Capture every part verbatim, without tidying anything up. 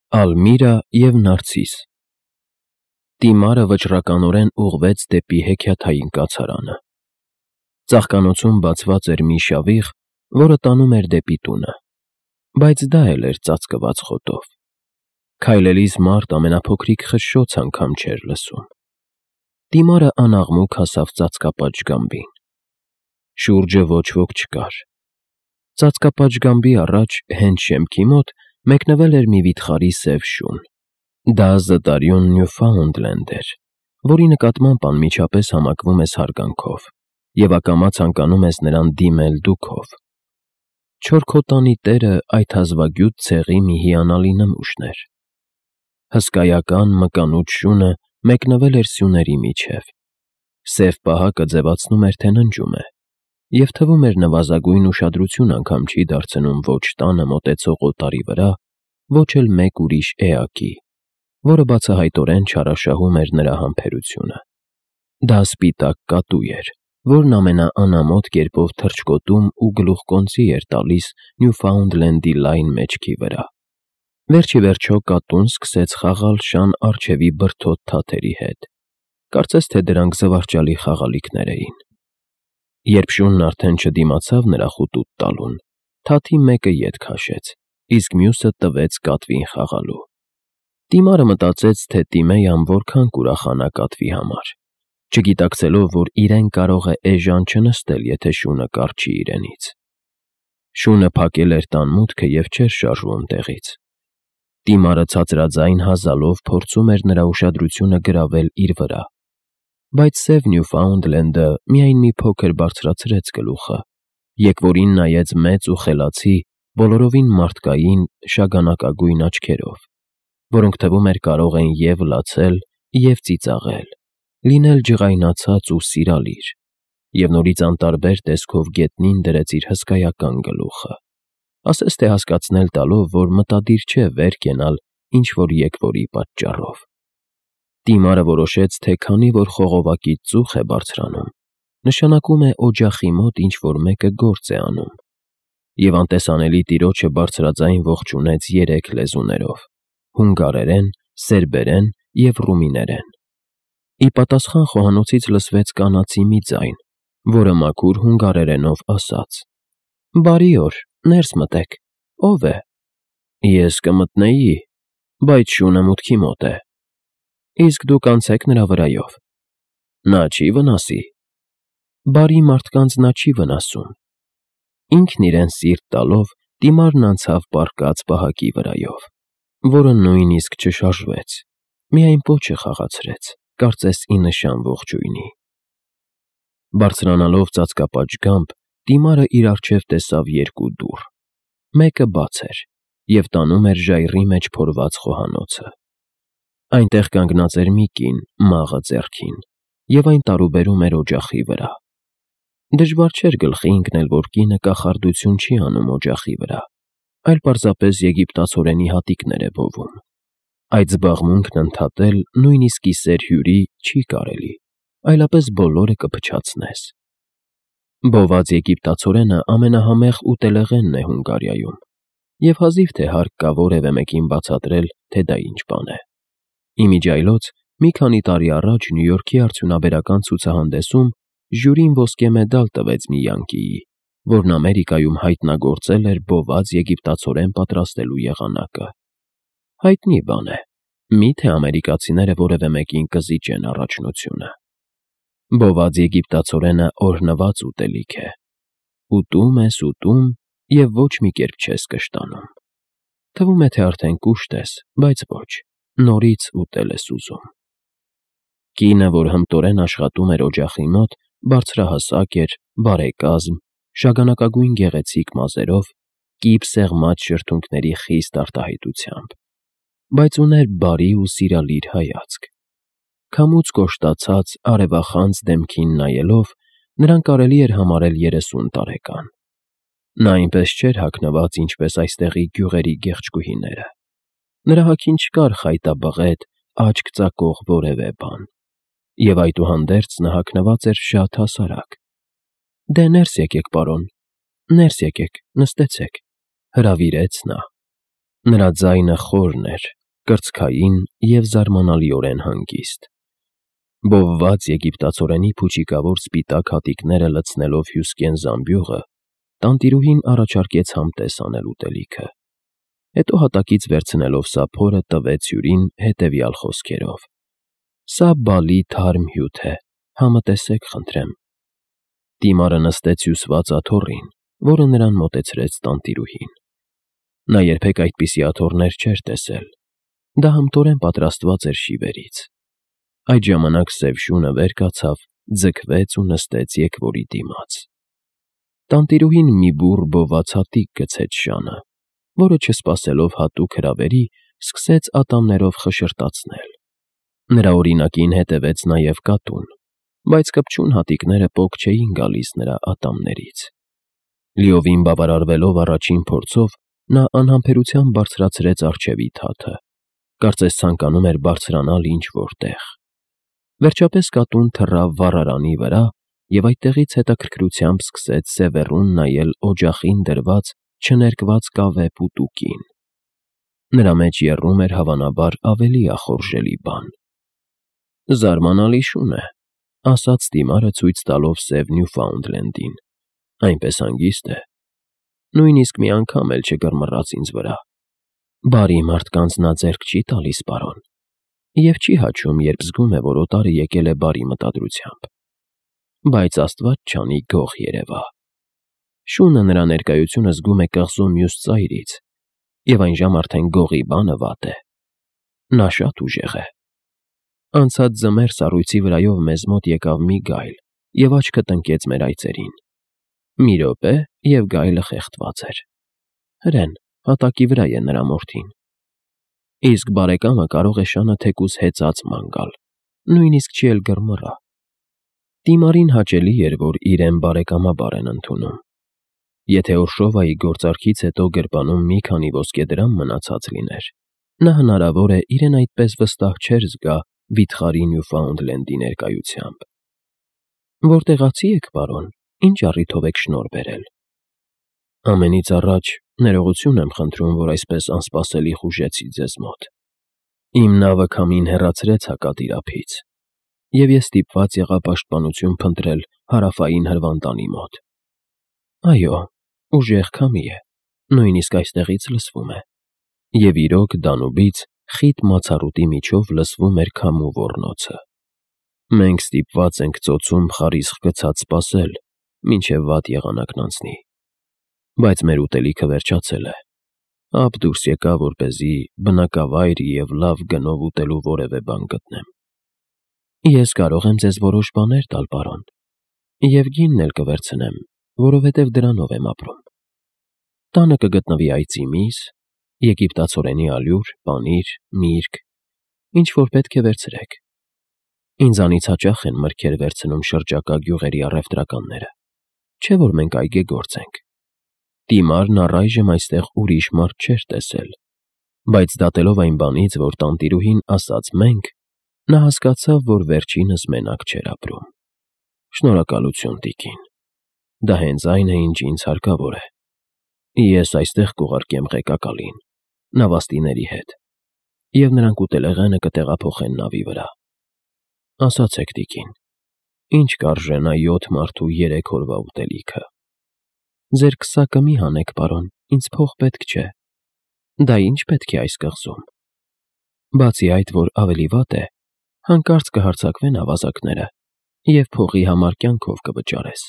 Ալմիրա և Նարցիս Տիմարը վճռականորեն ուղղվեց դեպի հեքիաթային կացարանը։ Ծաղկանոցում բացված էր մի շավիղ, որը տանում էր դեպի տունը, բայց դա էլ էր ծածկված խոտով։ Քայլելիս մարդ ամենափոքրիկ խշշոց անգամ չէր լսում։ Տիմարը անաղմուկ հասավ ծածկապատ ժգամբին։ Շուրջը ոչ ոք չկար։ Ծածկապատ առաջ, հենց շեմքի մոտ, մեկնվել էր մի վիթխարի սև շուն։ Դա զտարյուն Նյուֆաունդլենդ էր, որի նկատմամբ անմիջապես համակվում ես հարգանքով և ակամա ցանկանում ես նրան դիմել դուքով։ Չորքոտանի տերը այդ հազվագյուտ ցեղի մի հիանալի նմուշն էր։ Հսկայական մկանուտ շունը մեկնվել էր սյուների միջև։ Սև պահակը ձևացնում էր, թե ննջում է, և թվում էր նվազագույն ուշադրություն անգամ չի դարձնում ոչ տանը մոտեցող օտարի վրա, ոչ էլ մեկ ուրիշ էակի, որը բացահայտորեն չարաշահում էր նրա համբերությունը։ Դա սպիտակ կատու էր, որն ամենաանամոթ կերպով թռչկոտում ու գլուխկոնծի էր տալիս Նյուֆաունդլենդի լայն մեջքի վրա։ Վերջիվերջո կատուն սկսեց խաղալ շան առջևի բրդոտ թաթերի հետ, կարծես թե դրանք զվարճալի խաղալիքներ էին։ Երբ շունն արդեն չդիմացավ նրա խուտուտ տալուն, թաթի մեկը ետ քաշեց, իսկ մյուսը տվեց կատվին խաղալու։ Տիմարը մտածեց, թե Տիմեյան որքան կուրախանա կատվի համար, չգիտակցելով, որ իրեն կարող է էժան չնստել, եթե շունը կառչի իրենից։ Շունը փակել էր տան մուտքը և չէր շարժվում տեղից։ Տիմարը ցածրաձայն հազալով փորձում էր նրա ուշադրությունը գրավել իր վրա, բայց սև Նյուֆաունդլենդը միայն մի փոքր բարձրացրեց գլուխը, եկվորին նայեց մեծ ու խելացի, բոլորովին մարդկային, շագանակագույն աչքերով, որոնք թվում էր կարող են և լացել, և ծիծաղել, լինել ջղայնացած ու սիրալիր, և նորից անտարբեր տեսքով գետնին դրեց իր հսկայական գլուխը, ասես թե հասկացնել տալով, որ մտադիր չէ վեր կենալ ինչ-որ եկվորի պատճառով։ Տիմարը որոշեց, թե քանի որ խողովակից ծուխ է բարձրանում, նշանակում է օջախի մոտ ինչ-որ մեկը գործ է անում, և անտեսանելի տիրոջը բարձրաձայն ողջունեց երեք լեզուներով՝ հունգարերեն, սերբերեն և ռումիներեն։ Ի պատասխան խոհանոցից լսվեց կանացի մի ձայն, որը մաքուր հունգարերենով ասաց. «Բարի օր, ներս մտեք, ո՞վ է»։ «Ես կմտնեի, բայց շունը մուտքի մոտ է»։ «Իսկ դուք անցեք նրա վրայով»։ «Նա չի վնասի»։ «Բարի մարդկանց նա չի վնասում»։ Ինքն իրեն սիրտ տալով, Տիմարն անցավ պառկած պահակի վրայով, որը նույնիսկ չշարժվեց, միայն պոչը խաղացրեց, կարծես ի նշան ողջույնի։ Բարձրանալով ծածկապատ, Տիմարը իր առջև տեսավ երկու դուռ։ Մեկը բաց էր և տանում էր ժայռի մեջ փորված խոհանոցը։ Այնտեղ կանգնած էր մի կին, մաղը ձեռքին, և այն տարուբերում էր օջախի վրա։ Դժվար չէր գլխի ընկնել, որ կինը կախարդություն չի անում օջախի վրա, այլ պարզապես եգիպտացորենի հատիկներ է բովում։ Այդ զբաղմունքն ընդհատել նույնիսկ կիսեր հյուրի չի կարելի, այլապես բոլորը կփչացնես։ Բոված եգիպտացորենը ամենահամեղ ուտելեղենն է Հունգարիայում, և հազիվ թե հարկ կա որևէ մեկին բացատրել, թե դա ինչ բան է։ Իմիջիայլոց մի քանի տարի առաջ Նյու Յորքի արդյունաբերական ցուցահանդեսում ժյուրին ոսկե մեդալ տվեց մի յանկիի, որն Ամերիկայում հայտնագործել էր բոված եգիպտացորեն պատրաստելու եղանակը։ Հայտնի բան է, մի՞թե ամերիկացիները որևէ մեկին կզիջեն առաջնությունը։ Բոված եգիպտացորենը օրհնված ուտելիք է։ Ուտում ես, ուտում և ոչ մի կերպ չես կշտանում։ Թվում է, թե արդեն կուշտ ես, բայց ոչ, նորից ուտել ես ուզում։ Կինը, որ հմտորեն աշխատում էր օջախի մոտ, բարձրահասակ էր, բարեկազմ, շագանակագույն գեղեցիկ մազերով, կիպ սեղմած շրթունքների խիստ արտահայտությամբ, բայց ուներ բարի ու սիրալիր հայացք։ Քամուց կոշտացած, արևախանձ դեմքին նայելով, նրան կարելի էր համարել երեսուն տարեկան։ Նա այնպես չէր հագնված, ինչպես այստեղի գյուղերի գեղեցկուհիները։ Նրա հագին չկար խայտաբղետ, աչք ծակող որևէ բան, և այդուհանդերձ նա հագնված էր շատ հասարակ։ «Դե ներս եկեք, պարոն, ներս եկեք, նստեցեք», հրավիրեց նա։ Նրա ձայնը խորն էր, կրծքային և զարմանալիորեն հանգիստ։ Բովված եգիպտացորենի փուչիկավոր սպիտակ հատիկները լցնելով հյուսկեն զամբյուղը, տանտիրուհին առաջարկեց համտես անել ուտելիքը։ Հետո հատակից վերցնելով սափորը տվեց հյուրին հետևյալ խոսքերով. «Սա բալի թարմ հյութ է, համտեսեք խնդրեմ»։ Դիմարը նստեց հյուսված աթոռին, որը նրան մոտեցրեց տանտիրուհին։ Նա երբեք այդպիսի աթոռներ չէր տեսել։ Դա հմտորեն պատրաստված էր շիվերից։ Այդ ժամանակ սև շունը վեր կացավ, ձգվեց ու նստեց եկվորի դիմաց։ Տանտիրուհին մի բուռ բոված հատիկ գցեց շանը, որը չսպասելով հատուկ հրավերի, սկսեց ատամներով խշրտացնել։ Նրա օրինակին հետևեց նաև կատուն, բայց կպչուն հատիկները պոկ չէին գալիս նրա ատամներից։ Լիովին բավարարվելով առաջին փորձով, նա անհամբերությամբ բարձրացրեց առջևի թաթը, կարծես ցանկանում էր բարձրանալ ինչ-որ տեղ։ Վերջապես կատուն թռավ վառարանի վրա և այդտեղից հետաքրքրությամբ սկսեց սևեռուն նայել օջախին դրված չներկված կավե պուտուկին։ Նրա մեջ եռում էր հավանաբար ավելի ախորժելի բան։ «Զարմանալի շուն է», ասաց դիմարը ցույց տալով սև Նյուֆաունդլենդին, այնպես հանգիստ է, նույնիսկ մի անգամ էլ չկռմռաց ինձ վրա։ Բարի մարդկանց նա ձեռք չի տալիս, պարոն, և չի հաչում, երբ զգում է, որ օտարը եկել է բարի մտադրությամբ։ Բայց աստված չանի, գող երևա։ Շունը նրա ներկայությունը զգում է կղզու մյուս ծայրից, և այնժամ արդեն գողի բանը վատ է։ Նա շատ ուժեղ է։ Անցած ձմեռ սառույցի վրայով մեզ մոտ եկավ մի գայլ և աչքը տնկեց մեր այծերին։ Մի րոպե, և գայլը խեղդված էր։ Հրեն, հատակի վրա է նրա մորթին։ Իսկ բարեկամը կարող է շանը թեկուզ հեծած ման գալ, նույնիսկ չի էլ կռմռա։ Դիմարին հաճելի էր, որ իրեն բարեկամաբար են ընդունում։ Եթե Օրշովայի գործարքից հետո գրպանում մի քանի ոսկեդրամ մնացած լիներ, նա հնարավոր է իրեն այդպես վստահ չէր զգա վիթխարի Նյուֆաունդլենդի ներկայությամբ։ Որտեղացի եք, պարոն, ինչ առիթով եք շնորհ բերել։ Ամենից առաջ ներողություն եմ խնդրում, որ այսպես անսպասելի խուժեցի ձեզ մոտ։ Իմ նավը քամին հեռացրեց հակադիրափից, և ես ստիպված եղա պաշտպանություն փնտրել հարավային Հրվանդանի մոտ։ Այո, ուժեղ քամի է, նույնիսկ այստեղից լսվում է։ Եվ իրոք Դանուբից խիտ մացառուտի միջով լսվում էր քամու ոռնոցը։ Մենք ստիպված ենք ծոցում խարիսխ գցած սպասել, մինչև վատ եղանակն անցնի։ Բայց մեր ուտելիքը վերջացել է։ Ափ դուրս եկա, որպեսզի բնակավայր և լավ գնով ուտելու որևէ բան գտնեմ։ Ես կարող եմ ձեզ որոշ բաներ տալ, պարոն, և գինն էլ կվերցնեմ, որովհետև դրանով եմ ապրում։ Տանը կգտնվի այծի միս, եգիպտացորենի ալյուր, պանիր, միրգ, ինչ-որ պետք է վերցրեք։ Ինձանից հաճախ են մրգեր վերցնում շրջակա գյուղերի առևտրականները, չէ՞ որ մենք այգեգործ ենք։ Դիմարն առայժմ այստեղ ուրիշ մարդ չէր տեսել, բայց դատելով այն բանից, որ տանտիրուհին ասաց «մենք», նա հասկացավ, որ վերջինս մենակ չէր ապրում։ Շնորհակալություն, տիկին։ Դա հենց այն է, ինչ ինձ հարկավոր է։ Ես այստեղ կուղարկեմ ղեկակալին, նավաստիների հետ, և նրանք ուտելեղենը կտեղափոխեն նավի վրա։ Ասացեք, տիկին, ինչ կարժենա յոթ մարդու երեք օրվա ուտելիքը։ Ձեր քսակը մի հանեք, պարոն, ինձ փող պետք չէ։ Դա ի՞նչ պետք է այս կղզում։ Բացի այդ, որ ավելի վատ է, հանկարծ կհարձակվեն ավազակները, և փողի համար կյանքով կվճարես։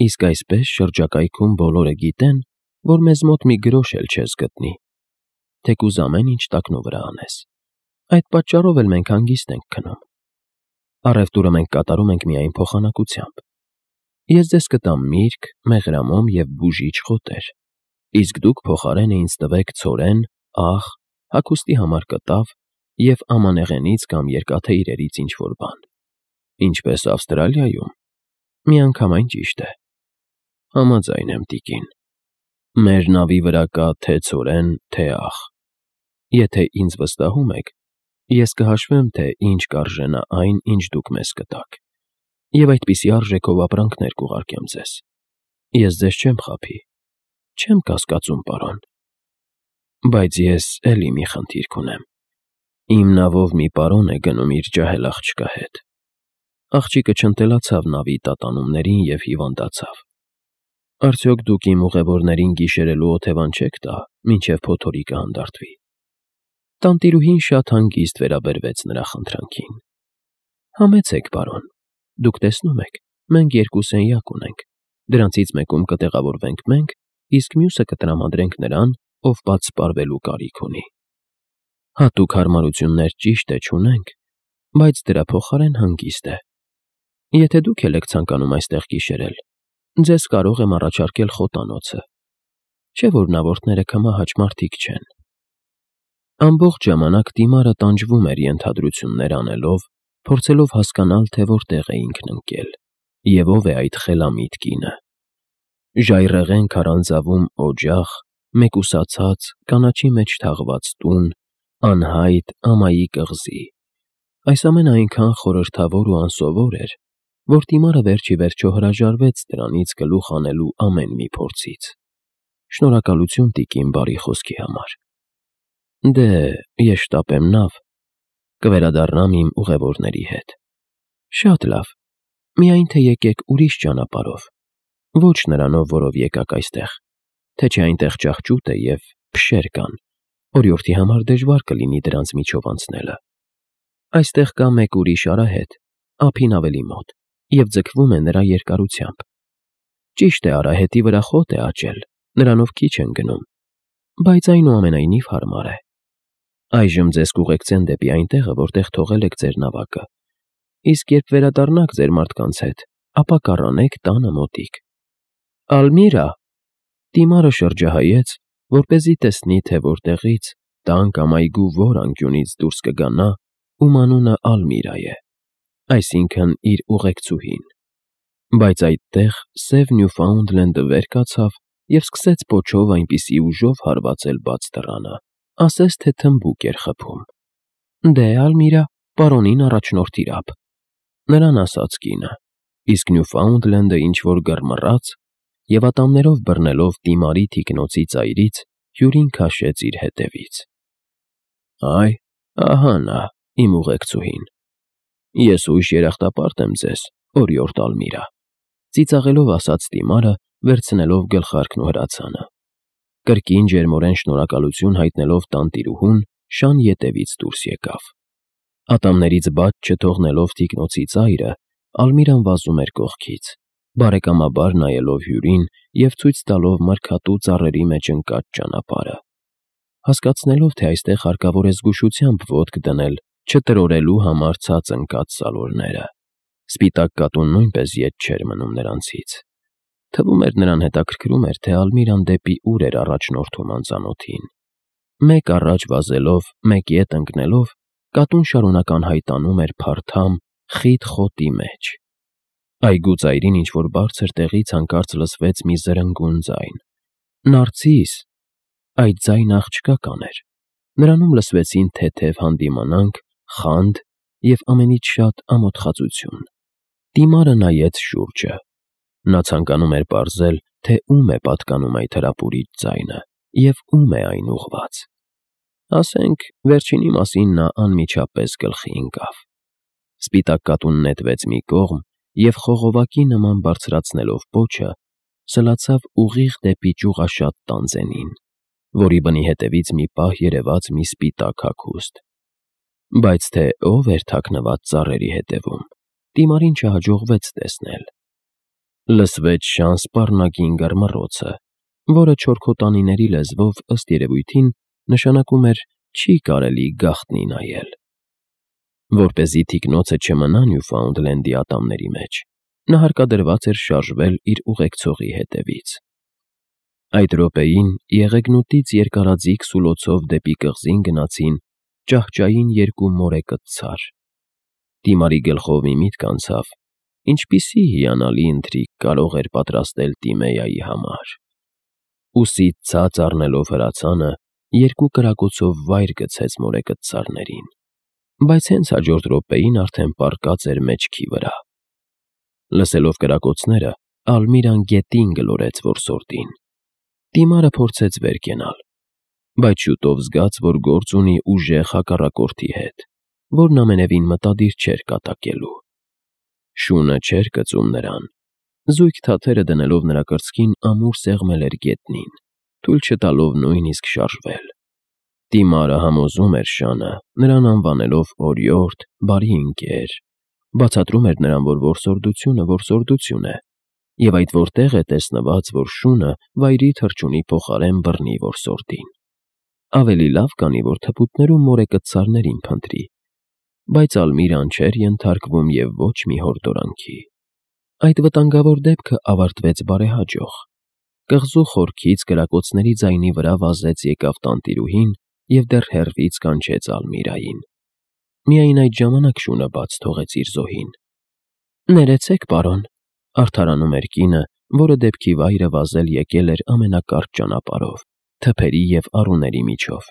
Իսկ այսպես շրջակայքում բոլորը գիտեն, որ մեզ մոտ մի գրոշ էլ չես գտնի, թեկուզ ամեն ինչ տակնու վրա անես։ Այդ պատճառով էլ մենք հանգիստ ենք քնում։ Առևտուրը մենք կատարում ենք միայն փոխանակությամբ։ Ես ձեզ կտամ միրգ, մեղրամոմ և բուժիչ խոտեր, իսկ դուք փոխարենը ինձ տվեք ցորեն, աղ, հագուստի համար կտավ և ամանեղենից կամ երկաթե իրերից ինչ-որ բան։ Ինչպես Ավստրալիայում։ Միանգամայն ճիշտ է։ Համաձայն եմ, տիկին։ Մեր նավի վրա կա թե ցորեն, թե աղ։ Եթե ինձ վստահում եք, ես կհաշվեմ, թե ինչ կարժենա այն, ինչ դուք մեզ կտաք, և այդպիսի արժեքով ապրանքներ կուղարկեմ ձեզ։ Ես ձեզ չեմ խաբի, չեմ կասկածում, պարոն։ Բայց ես էլի մի խնդիր կունեմ։ Իմ նավով մի պարոն է գնում իր ջահել աղջկա հետ։ Աղջիկը չընտելացավ նավի տատանումներին և հիվանդացավ։ Արդյոք դուք իմ ուղևորներին գիշերելու օթևան չեք տա, մինչև փոթորիկը հանդարտվի։ Տանտիրուհին շատ հանգիստ վերաբերվեց նրա խնդրանքին։ Համեցեք, պարոն, դուք տեսնում եք, մենք երկու սենյակ ունենք, դրանցից մեկում կտեղավորվենք մենք, իսկ մյուսը կտրամադրենք նրան, ով պատսպարվելու կարիք ունի։ Հատուկ հարմարություններ ճիշտ է չունենք, բայց դրա փոխարեն հանգիստ է։ Եթե դուք էլ եք ցանկանում այստեղ գիշերել, ձեզ կարող եմ առաջարկել խոտանոցը, չէ՞ որ նավորդները քմահաճ մարդիկ չեն։ Ամբողջ ժամանակ դիմարը տանջվում էր ենթադրություններ անելով, փորձելով հասկանալ, թե որտեղ է ինքն ընկել, և ով է այդ խելամիտ կինը։ Ժայռերն քարանձավում օջախ, մեկուսացած, կանաչի մեջ թաղված տուն, անհայտ ամայի կղզի։ Այս ամենը այնքան խորհրդավոր ու անսովոր էր, որ դիմարը վերջ ի վերջո հրաժարվեց դրանից գլուխ անելու ամեն մի փորձից։ Շնորհակալություն տիկին բարի խոսքի համար։ Դե, ես շտապեմ նավ, կվերադառնամ իմ ուղևորների հետ։ Շատ լավ, միայն թե եկեք ուրիշ ճանապարհով, ոչ նրանով, որով եկաք այստեղ, թե չէ այնտեղ ճահճուտ է և փշեր կան, օրիորդի համար դժվար կլինի դրանց միջով անցնելը։ Այստեղ կա մեկ ուրիշ արահետ, ափին ավելի մոտ, և ձգվում է նրա երկարությամբ։ Ճիշտ է, արահետի վրա խոտ է աճել, նրանով քիչ են գնում, բայց այնուամենայնիվ հարմար է։ Այժմ ձեզ կուղեկցեն դեպի այն տեղը, որտեղ թողել եք ձեր նավակը, իսկ երբ վերադառնաք ձեր մարդկանց հետ, ապա կառանեք տանը մոտիկ։ Ալմիրա… Դիմարը շրջահայաց, որպեսզի տեսնի, թե որտեղից, տան կամ այգու որ անկյունից դուրս կգա նա, ում անունը Ալմիրա է, այսինքն՝ իր ուղեկցուհին։ Բայց այդտեղ սև Նյուֆաունդլենդը վեր կացավ և սկսեց պոչով այնպիսի ուժով հարվածել բաց դռանը, ասես թե թմբուկ էր խփում։ Դե, Ալմիրա, պարոնին առաջնորդիր ափ, նրան ասաց կինը, իսկ Նյուֆաունդլենդը ինչ֊որ գռմռաց և ատամներով բռնելով դիմարի թիկնոցի ծայրից, հյուրին քաշեց իր հետևից։ Այ, ահա նա, իմ ուղեկցուհին։ Ես ույժ երախտապարտ եմ ձեզ, օրիորդ Ալմիրա, ծիծաղելով ասաց դիմարը, վերցնելով գլխարկն ու հրացանը։ Կրկին ջերմորեն շնորհակալություն հայտնելով տանտիրուհուն, շան ետևից դուրս եկավ։ Ատամներից բաց չթողնելով թիկնոցի ծայրը, Ալմիրան վազում էր կողքից, բարեկամաբար նայելով հյուրին և ցույց տալով մրգատու ծառերի մեջ ընկած ճանապարհը։ Հասկացնելով, թե այստեղ հարկավոր է զգուշությամբ ոտք դնել, չտրորելու համար ցած ընկած սալորները, սպիտակ կատուն նույնպես ետ չէր մնում նրանցից։ Թվում էր նրան հետաքրքրում էր, թե Ալմիրան դեպի ուր էր առաջնորդում անծանոթին։ Մեկ առաջ վազելով, մեկ ետ ընկնելով, կատուն շարունակ անհայտանում էր փարթամ, խիտ խոտի մեջ։ Այգու ծայրին ինչ-որ բարձր տեղից հանկարծ լսվեց մի զրնգուն ձայն։ Նարցիս… Այդ ձայնը աղջկա կաներ։ Նրանում լսվեցին թեթև հանդիմանանք, խանդ և ամենից շատ ամոթխածություն։ Դիմարը նայեց շուրջը։ Նա ցանկանում էր պարզել, թե ում է պատկանում այդ հրապուրիչ ձայնը և ում է այն ուղղված։ Ասենք, վերջինի մասին նա անմիջապես գլխի ընկավ։ Սպիտակ կատուն նետվեց մի կողմ և խողովակի նման բարձրացնելով պոչը, սլացավ ուղիղ դեպի ճյուղաշատ տանձենին, որի բնի հետևից մի պահ երևաց մի սպիտակ հագուստ։ Բայց թե ով էր թաքնված ծառերի հետևում, դիմարին չհաջողվեց տեսնել։ Լսվեց շան սպառնագին գռմռոցը, որը չորքոտանիների լեզվով, ըստ երևույթին, նշանակում էր «չի կարելի գաղտնի նայել»։ Որպեսզի թիկնոցը չմնա Նյուֆաունդլենդի ատամների մեջ, նա հարկադրված էր շարժվել իր ուղեկցողի հետևից։ Այդ րոպեին եղեգնուտից երկարաձիգ սուլոցով դեպի կղզին գնացին ճահճային երկու մորեկտ ցար։ Դիմարի գլխով մի միտք անցավ, ինչպիսի հիանալի ընթրիք կարող էր պատրաստել Տիմեայի համար։ Ուսից ցած առնելով հրացանը, երկու կրակոցով վայր գցեց մորեկտ ցարներին, բայց հենց հաջորդ րոպեին արդեն պառկած էր մեջքի վրա։ Լսելով կրակոցները, Ալմիրան գետին գլորեց որսորդին։ Դիմարը փորձեց վեր կենալ, բայց շուտով զգաց, որ գործ ունի ուժեղ հակառակորդի հետ, որն ամենևին մտադիր չէր կատակելու։ Շունը չէր կծում նրան։ Զույգ թաթերը դնելով նրա կրծքին ամուր սեղմել էր գետնին, թույլ չտալով նույնիսկ շարժվել։ Տիմարը համոզում էր շանը, նրան անվանելով օրիորդ, բարի ընկեր, բացատրում էր նրան, որ որսորդությունը որսորդություն է, և այդ որտեղ է տեսնված, որ շունը վայրի թռչունի փոխարեն բռնի որսորդին։ Ավելի լավ կանի, որ թփուտներում մորեկցարներին փնտրի, բայց Ալմիրան չէր ենթարկվում և ոչ մի հորդորանքի։ Այդ վտանգավոր դեպքը ավարտվեց բարեհաջող։ Կղզու խորքից կրակոցների ձայնի վրա վազեց եկավ տանտիրուհին և դեռ հեռվից կանչեց Ալմիրային։ Միայն այդ ժամանակ շունը բաց թողեց իր զոհին։ «Ներեցեք, պարոն», արդարանում էր կինը, որը դեպքի վայրը վազել եկել էր ամենակարճ ճանապարհով, թփերի և առուների միջով։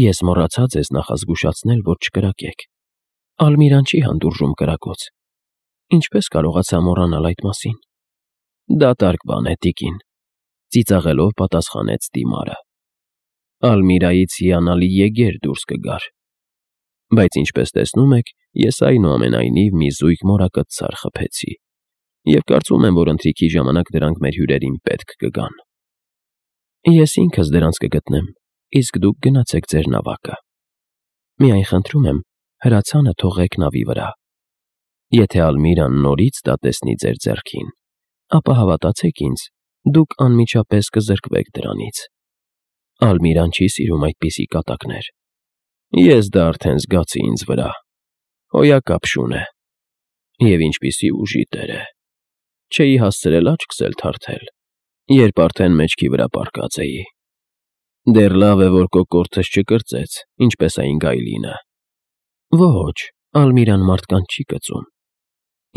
«Ես մոռացա ձեզ նախազգուշացնել, որ չկրակեք։ Ալմիրան չի հանդուրժում կրակոց։ Ինչպե՞ս կարողացա մոռանալ այդ մասին»։ «Դատարկ բան է, տիկին», ծիծաղելով պատասխանեց Տիմարը։ «Ալմիրայից հիանալի եգեր դուրս կգար։ Բայց ինչպես տեսնում եք, ես այնուամենայնիվ մի զույգ մորակցար խփեցի, և կարծում եմ, որ ընթրիքի ժամանակ դրանք մեր հյուրերին պետք կգան»։ «Ես ինքս դրանց կգտնեմ, իսկ դուք գնացեք ձեր նավակը։ Միայն խնդրում եմ, հրացանը թողեք նավի վրա։ Եթե Ալմիրան նորից դա տեսնի ձեր ձեռքին, ապա հավատացեք ինձ, դուք անմիջապես կզրկվեք դրանից։ Ալմիրան չի սիրում այդպիսի կատակներ։ Ես դա արդեն զգացի ինձ վրա։ Հոյակապ շուն է։ Եվ ինչպիսի ուժի տեր է։ Չէի հասցրել աչքս էլ թարթել, երբ արդեն մեջքի վրա պառկած էի։ Դեռ լավ է, որ կոկորդս չկրծեց, ինչպես այն գայլինը։ Ոչ, Ալմիրան մարդկանց չի կծում։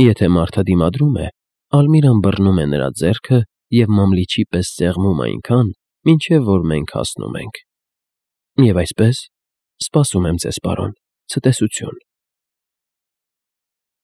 Եթե մարդը դիմադրում է, Ալմիրան բռնում է նրա ձեռքը և մամլիչի պես սեղմում այնքան, մինչև որ մենք հասնում ենք։ Եվ այսպես, սպասում եմ ձեզ, պարոն, ցտեսություն»։